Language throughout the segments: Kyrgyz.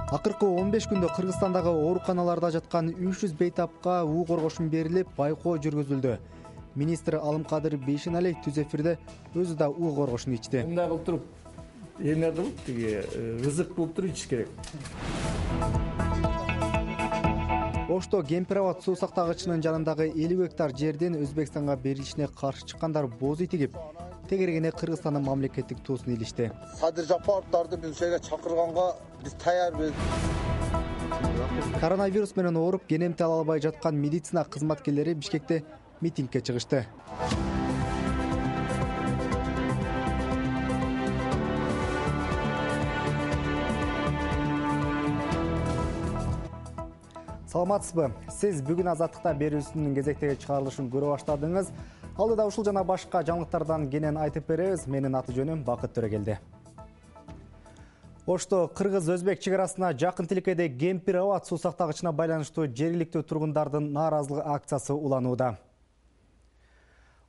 Акыркы 15 күндө Кыргызстандагы ооруканаларда жаткан 300 бейтапка уу коргошун берилип, байкоо жүргүзүлдү. Министр Алымкадыр Бейшеналиев түз эфирде өзү да уу коргошун ичти. Мындай кылып туруп, эме кылып, ызык кылып туруп ичиш керек. Ошто Кемпирабад суу сактагычынын жанындагы 50 гектар жердин Өзбекстанга берилишине каршы чыккандар боз үй тигип, тегерегине Кыргызстандын мамлекеттик туусун илишти. Садыр Жапаровдарды биз ушерге чакырганга биз таярбыз. Коронавирус менен ооруп, кенемти ала албай жаткан медицина кызматкерлери Бишкекте митингге чыгышты. Саламатсызбы? Сиз бүгүн Азаттыкта берүүсүнүн кезектеги чыгарылышын көрө баштадыңыз. Алдыда ушул жана башка жаңылыктардан кенен айтып беребиз. Менин аты жөнүм Бакыт Төрөгелди. Ошто кыргыз-өзбек чек арасына жакын тилкеде Кемпирабад суу сактагычына байланыштуу жергиликтүү тургундардын нааразылык акциясы уланууда.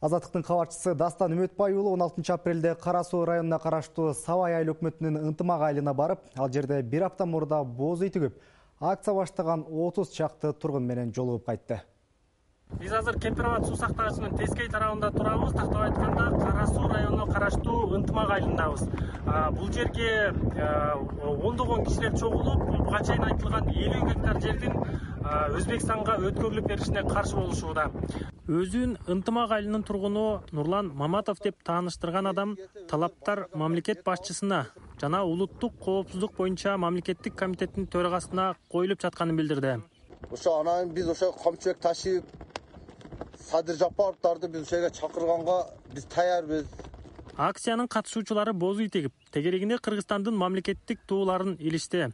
Азаттыктын кабарчысы Дастан Үмөтбай уулу 16 апрелде Кара Суу районуна караштуу Сабай айыл өкмөтүнүн ынтымак айылына барып, ал жерде бир апта мурда боз үй тигип, акция баштаган 30 чакты тургун менен жолугуп кайтты. Биз азыр Кемпирабад суу сактагычынын тескей тарабында турабыз. Тактап айтканда, Кара Суу районуна караштуу ынтымак айылындабыз. Бул жерге ондогон кишилер чогулуп, буга чейин айтылган 50 гектар жердин Өзбекстанга өткөрүлүп беришине каршы болушууда. Өзүн ынтымак айылынын тургуну Нурлан Маматов деп тааныштырган адам талаптар мамлекет башчысына жана улуттук коопсуздук боюнча мамлекеттик комитеттин төрагасына коюлуп жатканын билдирди. Ошо анан биз ошо камчыбек Ташиев, Садыр Жапаровдарды биз ушерге чакырганга биз таярбыз. Акциянын катышуучулары боз үй тегип, тегерегине Кыргызстандын мамлекеттик тууларын илишти.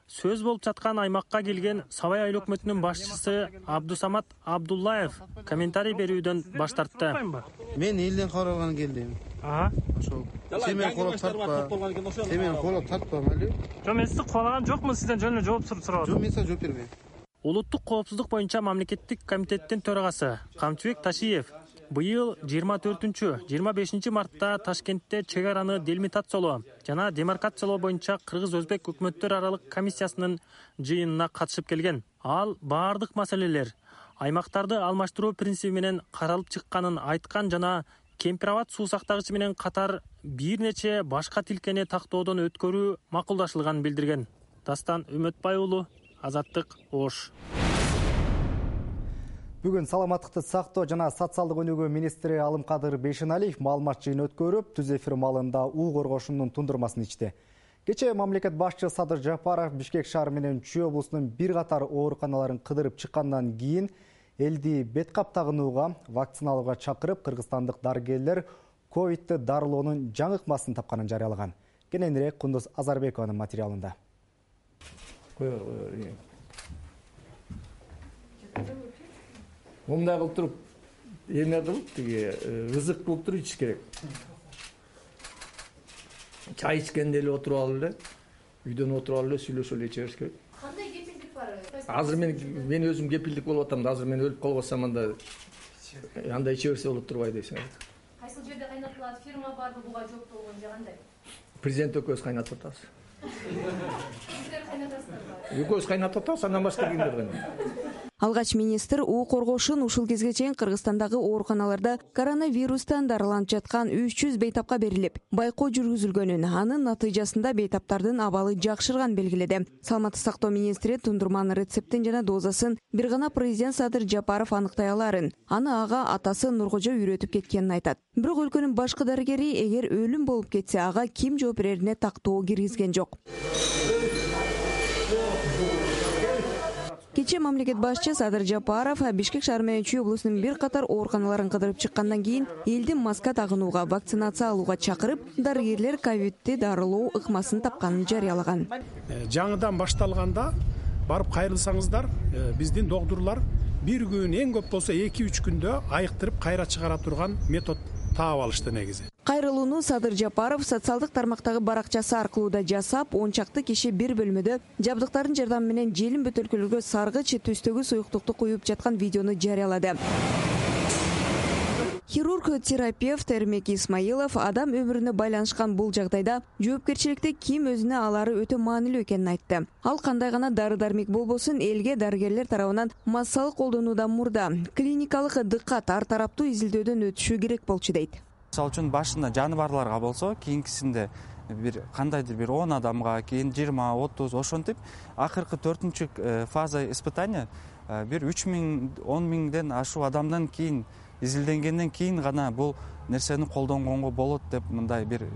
Сөз болуп жаткан аймакка келген Сабай айыл өкмөтүнүн башчысы Абдусамат Абдуллаев комментарий берүүдөн баш тартты. Мен элден каралган келдим. Ошол. Сен колоп тартпа. Сен колоп тартпа, мали. Жок, мен сизди куулаган жокмун, сизден жөн эле жооп сурап. Жок, мен сага жооп бербейм. Улуттук коопсуздук боюнча мамлекеттик комитеттин төрагасы Камчыбек Ташиев быйыл 24-25 мартта Ташкентте чек араны делимитациялоо жана демаркациялоо боюнча Кыргыз-Өзбек өкмөттөр аралык комиссиясынын жыйынына катышып келген. Ал баардык маселелер аймактарды алмаштыруу принциби менен каралып чыкканын айткан жана Кемпирабад суу сактагычы менен катар бир нече башка тилкени тактоодон өткөрүү макулдашылганын билдирген. Дастан Үмөтбай уулу, Азаттык, Ош. Бүгүн саламаттыкты сактоо жана социалдык өнүгүү министри Алымкадыр Бейшеналиев маалымат жыйын өткөрүп, түз эфир маалында уу коргошунун тундурмасын ичти. Кечээ мамлекет башчы Садыр Жапаров Бишкек шаары менен Чүй облусунун бир катар ооруканаларын кыдырып чыккандан кийин элди бет кап тагынууга, вакциналууга чакырып, кыргызстандык дарыгерлер ковидти дарылоонун жаңы ыкмасын тапканын жарыялаган. Кененирээк Кундуз Азарбекованын материалында. Мындай кылып туруп, эме кылып, ызык кылып туруп ичиш керек. Чай ичкенде эле отуруп алып эле, үйдөн отуруп алып эле сүйлөшүп эле иче бериш керек. Кандай кепилдик бар? Азыр мен өзүм кепилдик болуп атам да, азыр мен өлүп калбасам анда иче берсе болот турбайбы дейсиң. Кайсыл жерде кайнатылат, фирма барбы буга жооптолгон же кандай? Президент экөөбүз кайнатып атабыз. Сиздер кайнатасыздарбы? Экөөбүз кайнатып атабыз, андан башка кимдер кайнатат? Алгач министр уу коргошун ушул кезге чейин Кыргызстандагы ооруканаларда коронавирустан дарыланып жаткан 300 бейтапка берилип, байкоо жүргүзүлгөнүн, анын натыйжасында бейтаптардын абалы жакшырганын белгиледи. Саламаттык сактоо министри тундурманын рецептин жана дозасын бир гана президент Садыр Жапаров аныктай аларын. Аны ага атасы Нуркожо үйрөтүп кеткенин айтат. Бирок өлкөнүн башкы дарыгери эгер өлүм болуп кетсе, ага ким жооп берерине тактоо киргизген жок. Кечээ мамлекет башчы Садыр Жапаров Бишкек шаары менен Чүй облусунун бир катар ооруканаларын кыдырып чыккандан кийин элди маска тагынууга, вакцинация алууга чакырып, дарыгерлер ковидти дарылоо ыкмасын тапканын жарыялаган. Жаңыдан башталганда барып кайрылсаңыздар, биздин доктурлар бир күн эң көп болсо 2-3 күндө айыктырып кайра чыгара турган метод таап алышты негизи. Кайрылууну Садыр Жапаров социалдык тармактагы баракчасы аркылуу да жасап, 10 чакты киши бир бөлмөдө жабдыктардын жардамы менен желим бөтөлкөлөргө саргыч түстөгү суюктукту куюп жаткан видеону жарыялады. Хирург терапевт Эрмек Исмаилов адам өмүрүнө байланышкан бул жагдайда жоопкерчиликти ким өзүнө алары өтө маанилүү экенин айтты. Ал кандай гана дары-дармек болбосун, элге дарыгерлер тарабынан массалык колдонуудан мурда клиникалык дыккат ар тараптуу изилдөөдөн өтүшү керек болчу дейт. Мисалы үчүн башында жаныбарларга болсо, кийинкисинде бир кандайдыр бир 10 адамга, кийин 20-30 ошентип акыркы 4-чү фаза испытания бир 3000, 10 000ден ашуу адамдан кийин изилденгенден кийин гана бул нерсени колдонгонго болот деп мындай бир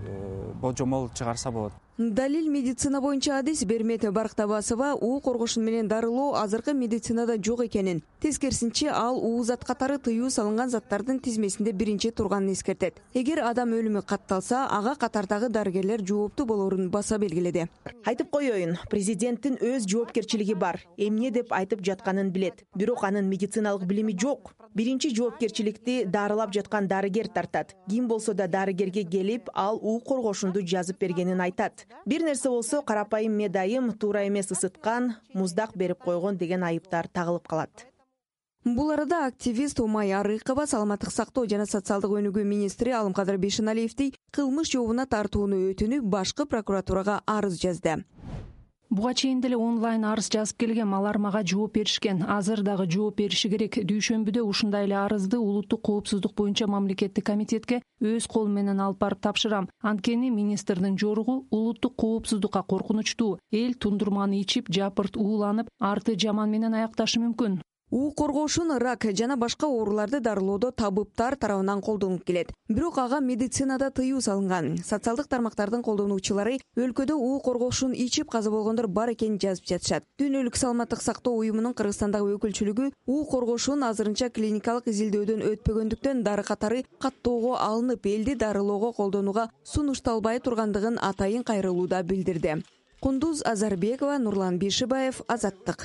божомол чыгарса болот. Далил медицина боюнча адис Бермет Барктабасова уу коргошун менен дарылоо азыркы медицинада жок экенин, тескерисинче ал уу зат катары тыюу салынган заттардын тизмесинде биринчи турганын эскертет. Эгер адам өлүмү катталса, ага катардагы дарыгерлер жооптуу болорун баса белгиледи. Айтып коеюн, президенттин өз жоопкерчилиги бар. Эмне деп айтып жатканын билет. Бирок анын медициналык билими жок. Биринчи жоопкерчиликти дарылап жаткан дарыгер тартат. Ким болсо да дарыгерге келип, ал уу коргошунду жазып бергенин айтат. Бир нерсе болсо карапайым медайым туура эмес ысыткан, муздак берип койгон деген айыптар тагылып калат. Бул арада активист Умай Арыкова саламаттык сактоо жана социалдык өнүгүү министри Алымкадыр Бейшеналиевди кылмыш жообуна тартууну өтүнүп, башкы прокуратурага арыз жазды. Буга чейин деле онлайн арыз жазып келгем, алар мага жооп беришкен. Азыр дагы жооп бериши керек. Дүйшөмбүдө ушундай эле арызды улуттук коопсуздук боюнча мамлекеттик комитетке өз колум менен алып барып тапшырам. Анткени министрдин жоругу улуттук коопсуздукка коркунучтуу. Эл тундурманы ичип, жапырт ууланып, арты жаман менен аякташы мүмкүн. Уу коргошун рак жана башка ооруларды дарылоодо табыптар тарабынан колдонуп келет. Бирок ага медицинада тыюу салынган. Социалдык тармактардын колдонуучулары өлкөдө уу коргошун ичип каза болгондор бар экенин жазып жатышат. Дүйнөлүк саламаттык сактоо уюмунун Кыргызстандагы өкүлчүлүгү уу коргошун азырынча клиникалык изилдөөдөн өтпөгөндүктөн дары катары каттоого алынып, элди дарылоого колдонууга сунушталбай тургандыгын атайын кайрылууда билдирди. Кундуз Азарбекова, Нурлан Бишибаев, Азаттык.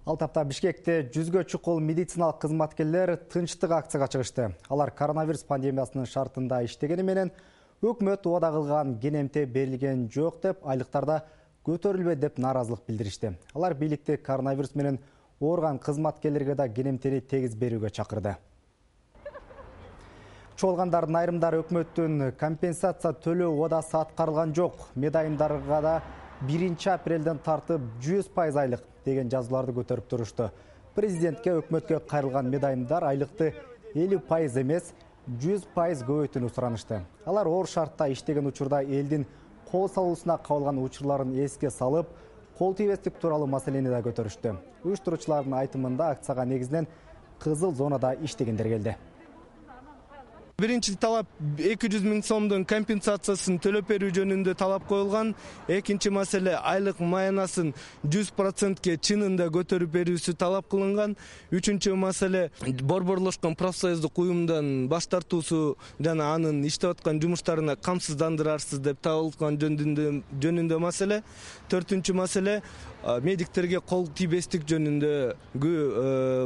Ал тапта Бишкекте 100гө чукул медициналык кызматкерлер тынчтык акцияга чыгышты. Алар коронавирус пандемиясынын шартында иштегени менен өкмөт убада кылган кенемте берилген жок деп, айлыктарда көтөрүлбө деп нааразылык билдиришти. Алар бийликти коронавирус менен ооруган кызматкерлерге да кенемтени тегиз берүүгө чакырды. Чогулгандардын айрымдары өкмөттүн компенсация төлөө убадасы аткарылган жок. Медайымдарга да 1 апрелден тартып 100% айлык деген жазууларды көтөрүп турушту. Президентке өкмөткө кайрылган медайымдар айлыкты 50% эмес, 100% көбөйтүүнү суранышты. Алар оор шартта иштеген учурда элдин кол салуусуна кабылган учурларын эске салып, кол тийбестик тууралуу маселени да көтөрүштү. Уюштуруучулардын айтымында акцияга негизинен кызыл зонада иштегендер келди. Биринчи талап 200 000 сомдун компенсациясын төлөп берүү жөнүндө талап коюлган. Экинчи маселе айлык маянасын 100%ке чынында көтөрүп берүүсү талап кылынган. Үчүнчү маселе борборлошкон профсоюздук уюмдан баш тартуусу жана анын иштеп аткан жумуштарына камсыздандырарсыз деп табылган жөнүндө маселе. Төртүнчү маселе медиктерге кол тийбестик жөнүндө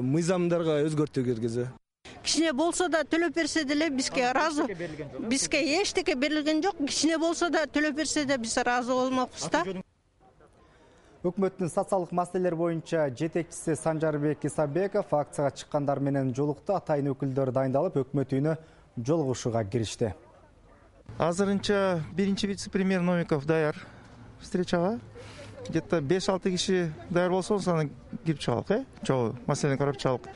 мыйзамдарга өзгөртүү киргизүү. Кичине болсо да төлөп берсе деле бизге ыраазы. Бизге эчтеке берилген жок. Кичине болсо да төлөп берсе да биз ыраазы болмокпуз да. Өкмөттүн социалдык маселелер боюнча жетекчиси Санжарбек Исабеков акцияга чыккандар менен жолукту. Атайын өкүлдөр дайындалып, өкмөт үйүнө жолугушууга киришти. Азырынча биринчи вице-премьер Новиков даяр встречага. Где-то 5-6 киши даяр болсо, аны кирип чыгалык, чогуу маселени карап чыгалык.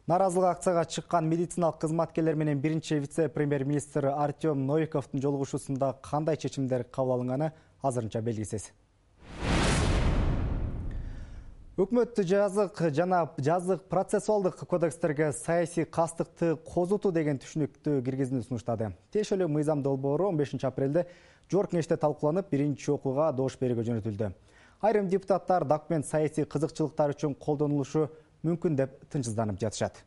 Наразылык акцияга чыккан медициналык кызматкерлер менен биринчи вице-премьер-министр Артем Новиковдун жолугушуусунда кандай чечимдер кабыл алынганы азырынча белгисиз. Өкмөт жазык процессуалдык кодекстерге саясий кастыкты козутуу деген түшүнүктү киргизүүнү сунуштады. Тиешелүү мыйзам долбоору 15 апрелде Жогорку Кеңеште талкууланып, биринчи окууга добуш берүүгө жөнөтүлдү. Айрым депутаттар документ саясий кызыкчылыктар үчүн колдонулушу мүмкүн деп тынчсызданып жатышат.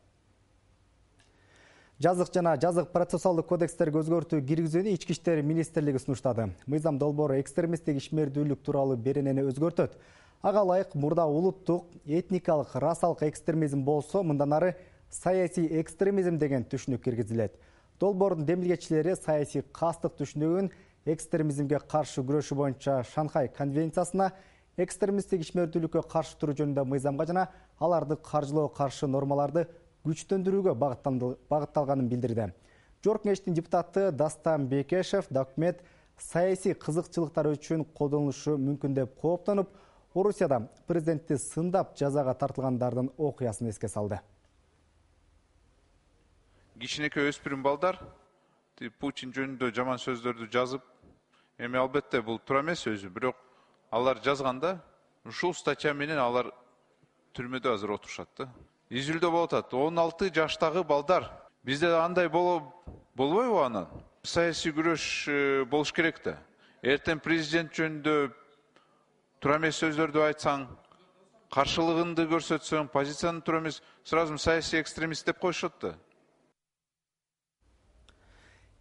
Жазык жана жазык процессуалдык кодекстерге өзгөртүү киргизүүнү Ички иштер министрлиги сунуштады. Мыйзам долбоору экстремисттик ишмердүүлүк тууралуу беренени өзгөртөт. Ага ылайык мурда улуттук, этникалык, расалык экстремизм болсо, мындан ары саясий экстремизм деген түшүнүк киргизилет. Долбоордун демилгечилери саясий кастык түшүнүгүн экстремизмге каршы күрөшүү боюнча Шанхай конвенциясына, экстремисттик ишмердүүлүккө каршы туруу жөнүндө мыйзамга жана аларды каржылоого каршы нормаларды күчтөндүрүүгө багытталганын билдирди. Жогорку кеңештин депутаты Дастан Бекешев документ саясий кызыкчылыктар үчүн колдонулушу мүмкүн деп кооптонуп, Орусияда президентти сындап жазага тартылгандардын окуясын эске салды. Кичинекей өспүрүм балдар Путин жөнүндө жаман сөздөрдү жазып, эми албетте бул туура эмес өзү, бирок алар жазганда ушул статья менен алар түрмөдө азыр отурушат да. Изилдөө болуп атат. 16 жаштагы балдар. Бизде андай болбойбу анан? Саясий күрөш болуш керек да. Эртең президент жөнүндө туура эмес сөздөрдү айтсаң, каршылыгыңды көрсөтсөң, позицияң туура эмес, сразу саясий экстремист деп коюшат да.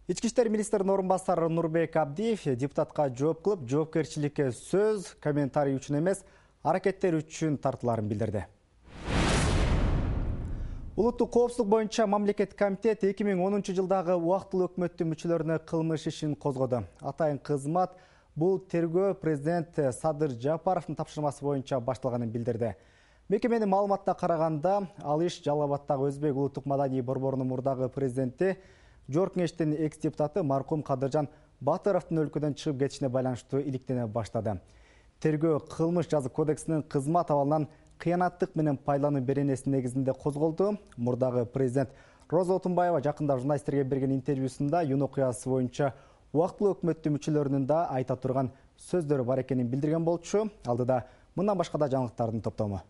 Ички иштер министринин орун басары Нурбек Абдиев депутатка жооп кылып, жоопкерчиликке сөз, комментарий үчүн эмес, аракеттер үчүн тартыларын билдирди. Улуттук коопсуздук боюнча мамлекеттик комитет 2010 жылдагы убактылуу өкмөттүн мүчөлөрүнө кылмыш ишин козгоду. Атайын кызмат бул тергөө президент Садыр Жапаровдун тапшырмасы боюнча башталганын билдирди. Мекеменин маалыматына караганда, ал иш Жалал Абаддагы Өзбек улуттук маданий борборунун мурдагы президенти, Жогорку кеңештин экс-депутаты маркум Кадыржан Батыровдун өлкөдөн чыгып кетишине байланыштуу иликтене баштады. Тергөө кылмыш жазык кодексинин кызмат абалынан кыянаттык менен пайдалануу беренеси негизинде козголду. Мурдагы президент Роза Отунбаева жакында журналисттерге берген интервьюсунда юун окуясы боюнча убактылуу өкмөттүн мүчөлөрүнүн да айта турган сөздөрү бар экенин билдирген болчу. Алдыда мындан башка да жаңылыктардын топтому.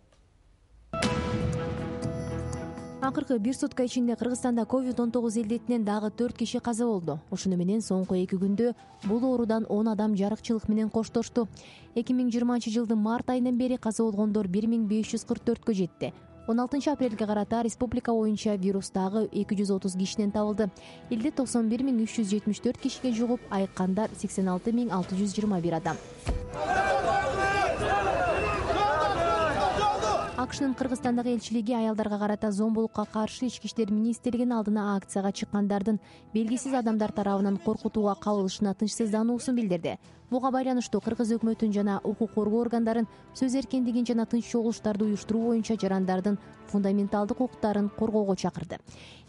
Акыркы бир сутка ичинде Кыргызстанда COVID-19 илдетинен дагы 4 киши каза болду. Ошону менен соңку 2 күндө бул оорудан 10 адам жарыкчылык менен коштошту. 2020 жылдын март айынан бери каза болгондор 1544кө жетти. 16 апрелге карата республика боюнча вирус дагы 230 кишинен табылды. Элде 91374 кишиге жугуп, айыккандар 86621 адам. АКШнын Кыргызстандагы элчилиги аялдарга карата зомбулукка каршы ички иштер министрлигинин алдына акцияга чыккандардын белгисиз адамдар тарабынан коркутууга кабылышына тынчсыздануусун билдирди. Буга байланыштуу Кыргыз өкмөтүн жана укук коргоо органдарын сөз эркиндигин жана тынч чогулуштарды уюштуруу боюнча жарандардын фундаменталдык укуктарын коргоого чакырды.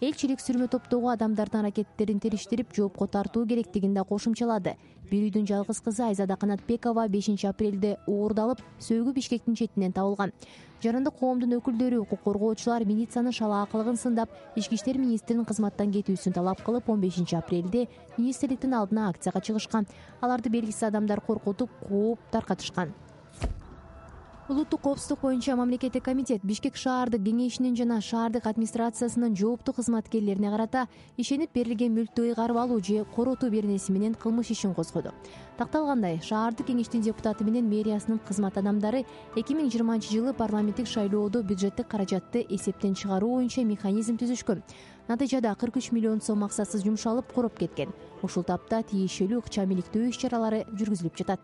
Элчилик сүрмө топтогу адамдардын аракеттерин териштирип, жоопко тартуу керектигин да кошумчалады. Бир үйдүн жалгыз кызы Айзада Канатбекова 5 апрелде уурдалып, сөөгү Бишкектин четинен табылган. Жарандык коомдун өкүлдөрү, укук коргоочулар милициянын шалаакылыгын сындап, ички иштер министринин кызматтан кетүүсүн талап кылып, 15 апрелде министрликтин алдына акцияга чыгышкан. Аларды белгисиз адамдар коркутуп, кууп таркатышкан. Улуттук коопсуздук боюнча мамлекеттик комитет Бишкек шаардык кеңешинин жана шаардык администрациясынын жооптуу кызматкерлерине карата ишенип берилген мүлктү ыйгарып алуу же коротуу беренеси менен кылмыш ишин козгоду. Такталгандай, шаардык кеңештин депутаты менен мэриясынын кызмат адамдары 2020 жылы парламенттик шайлоодо бюджеттик каражатты эсептен чыгаруу боюнча механизм түзүшкөн. Натыйжада 43 миллион сом максатсыз жумшалып, короп кеткен. Ушул тапта тиешелүү ыкчам иликтөө иш-чаралары жүргүзүлүп жатат.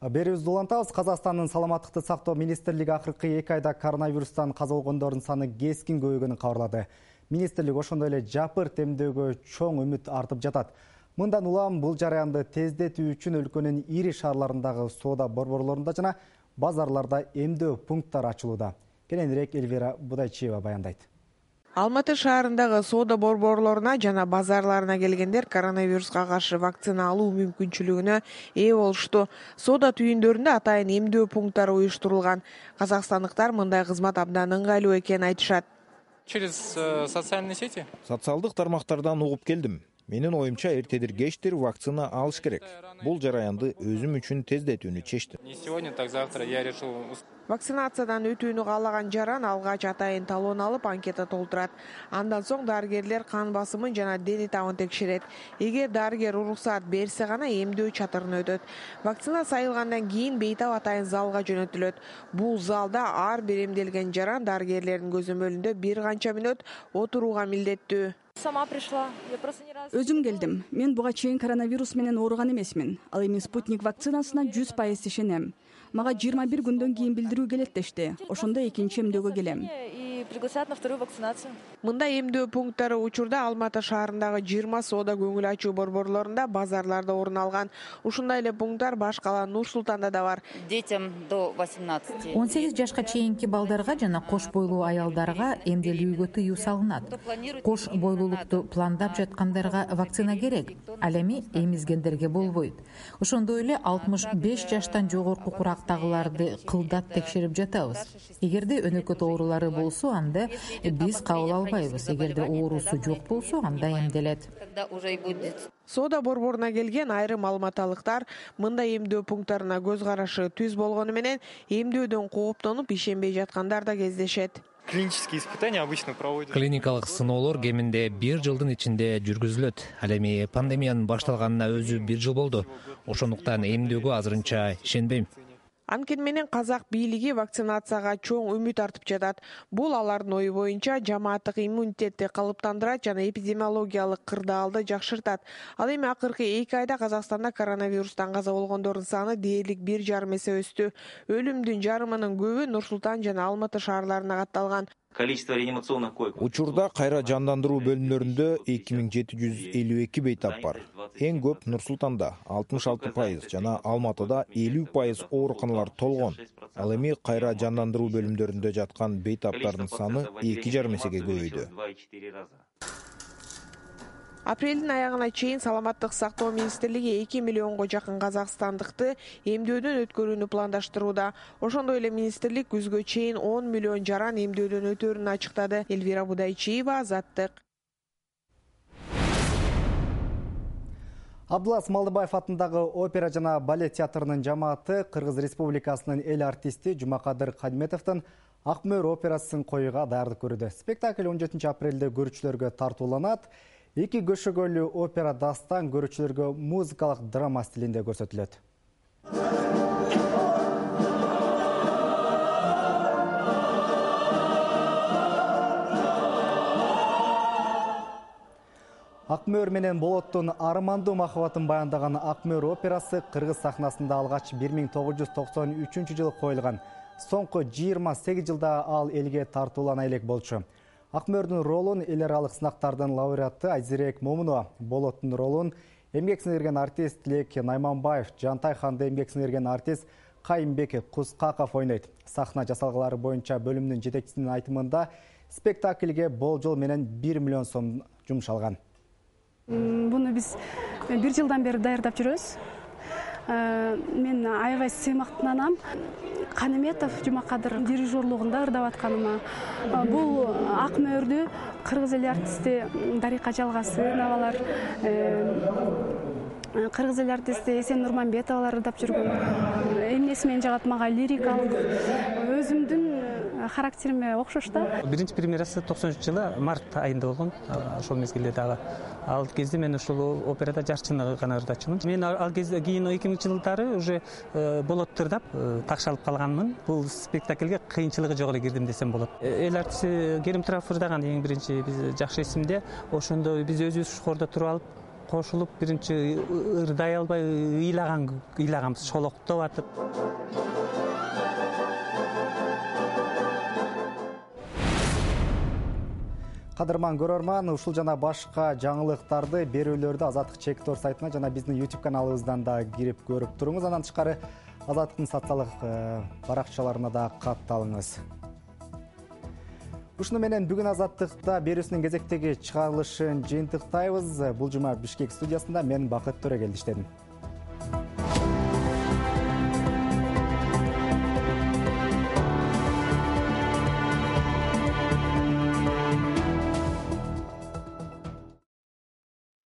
Берүүбүздү улантабыз. Казакстандын саламаттыкты сактоо министрлиги акыркы 2 айда коронавирустан каза болгондордун саны кескин көбөйгөнүн кабарлады. Министрлик ошондой эле жапырт эмдөөгө чоң үмүт артып жатат. Мындан улам бул жараянды тездетүү үчүн өлкөнүн ири шаарларындагы соода борборлорунда жана базарларда эмдөө пункттары ачылууда. Кененирээк Эльвира Будайчиева баяндайт. Алматы шаарындагы соода борборлоруна жана базарларына келгендер коронавируска каршы вакцина алуу мүмкүнчүлүгүнө ээ болушту. Соода түйүндөрүндө атайын эмдөө пункттары уюштурулган. Казакстандыктар мындай кызмат абдан ыңгайлуу экенин айтышат. Через социальные сети? Социалдык тармактардан угуп келдим. Менин оюмча эртедир-кечтир вакцина алыш керек. Бул жараянды өзүм үчүн тездетүүнү чечтим. Не сегодня, так завтра я решил. Вакцинациядан өтүүнү каалаган жаран алгач атайын талон алып анкета толтурат. Андан соң дарыгерлер кан басымын жана дени табын текшерет. Эгер дарыгер уруксаат берсе гана эмдөө чатырына өтөт. Вакцина сайылгандан кийин бейтап атайын залга жөнөтүлөт. Бул залда ар бир эмделген жаран дарыгерлердин көзөмөлүндө бир канча мүнөт отурууга милдеттүү. Сама пришла. Я просто не раз. Өзүм келдим. Мен буга чейин коронавирус менен ооруган эмесмин. Ал эми спутник вакцинасына 100% ишенем. Мага 21 күндөн кийин билдирүү келет дешти. Ошондо экинчи эмдөөгө келем. И приглашают на вторую вакцинацию. Мында эмдөө пункттары учурда Алматы шаарындагы 20 соода көңүл ачуу борборлорунда, базарларда орун алган. Ушундай эле пункттар баш кала Нур-Султанда да бар. Детям до 18. 18 жашка чейинки балдарга жана кош бойлуу аялдарга эмделүүгө тыюу салынат. Кош бойлуулукту пландап жаткандарга вакцина керек. Ал эми эмизгендерге болбойт. Ошондой эле 65 жаштан жогорку курактагыларды кылдат текшерип жатабыз. Эгерде өнөкөт оорулары болсо, анда биз кабыл албайбыз. Эгерде оорусу жок болсо, анда эмделет. Соода борборуна келген айрым алматылыктар мында эмдөө пункттарына көз карашы түз болгону менен эмдөөдөн кооптонуп ишенбей жаткандар да кездешет. Клинические испытания обычно проводят. Клиникалык сыноолор кеминде 1 жылдын ичинде жүргүзүлөт. Ал эми пандемиянын башталганына өзү 1 жыл болду. Ошондуктан эмдөөгө азырынча ишенбейм. Анткени менен казак бийлиги вакцинацияга чоң үмүт артып жатат. Бул алардын ою боюнча жамааттык иммунитетти калыптандырат жана эпидемиологиялык кырдаалды жакшыртат. Ал эми акыркы 2 айда Казакстанда коронавирустан каза болгондордун саны дээрлик 1,5 эсе өстү. Өлүмдүн жарымынын көбү Нур-Султан жана Алматы шаарларына катталган. Количество реанимационных коек. Учурда кайра жандандыруу бөлүмдөрүндө 2752 бейтап бар. Эң көп Нур-Султанда 66%, жана Алматыда 50% ооруканалар толгон. Ал эми кайра жандандыруу бөлүмдөрүндө жаткан бейтаптардын саны 2,5 эсеге көбөйдү. Апрелдин аягына чейин Саламаттык сактоо министрлиги 2 миллионго жакын казакстандыкты эмдөөдөн өткөрүүнү пландаштырууда. Ошондой эле министрлик күзгө чейин 10 миллион жаран эмдөөдөн өтөрүн ачыктады. Элвира Будайчиева, Азаттык. Абдулас Малдыбаев атындагы опера жана балет театрынын жамааты Кыргыз Республикасынын эл артисти Жумакадыр Кадметовдун Акмөр операсын коюуга даярдык көрүүдө. Спектакль 17 апрелде көрүүчүлөргө тартууланат. 2 көшөгөлүү опера дастан көрүүчүлөргө музыкалык драма стилинде көрсөтүлөт. Акмөр менен Болоттун армандуу махабатын баяндаган Акмөр операсы Кыргыз сахнасында алгач 1993 жылы коюлган. Соңку 28 жылда ал элге тартуулана элек болчу. Акмөрдүн ролун эл аралык сынактардын лауреаты Айзирек Момунова, Болоттун ролун эмгек сиңирген артист Тилек Найманбаев, Жантай ханды эмгек сиңирген артист Кайымбек Кускаков ойнойт. Сахна жасалгалары боюнча бөлүмдүн жетекчисинин айтымында спектакльге болжол менен 1 миллион сом жумшалган. Буну биз 1 жылдан бери даярдап жүрөбүз. Мен аябай сыймактанам. Канеметов Жумакадыр дирижерлугунда ырдап атканыма. Бул Акмөрдү кыргыз эл артисти Дарика Жалгасыновалар, кыргыз эл артисти Эсен Нурманбетовалар ырдап жүргөн. Эмнеси мени жагат, мага лирикалык өзүмдүн характериме окшош да. Биринчи премьерасы 93 жылы март айында болгон. Ошол мезгилде дагы ал кезде мен ушул операда жашчыны гана ырдачумун. Мен ал кезде кийин 2000-жылдары уже болот ырдап такшалып калганмын. Бул спектакльге кыйынчылыгы жок эле кирдим десем болот. Эл артисти Керим Тураев ырдаган эң биринчи биз жакшы эсимде. Ошондо биз өзүбүз шухордо туруп алып кошулуп биринчи ырдай албай ыйлаганбыз, шолоктоп атып. Кадырман көрөрман, ушул жана башка жаңылыктарды, берүүлөрдү Азаттык Чек.Тор сайтына жана биздин YouTube каналыбыздан да кирип көрүп туруңуз. Андан тышкары Азаттыктын социалдык баракчаларына да катталыңыз. Ушуну менен бүгүн Азаттыкта берүүсүнүн кезектеги чыгарылышын жыйынтыктайбыз. Бул жума Бишкек студиясында мен Бакыт Төрөгелди иштедим.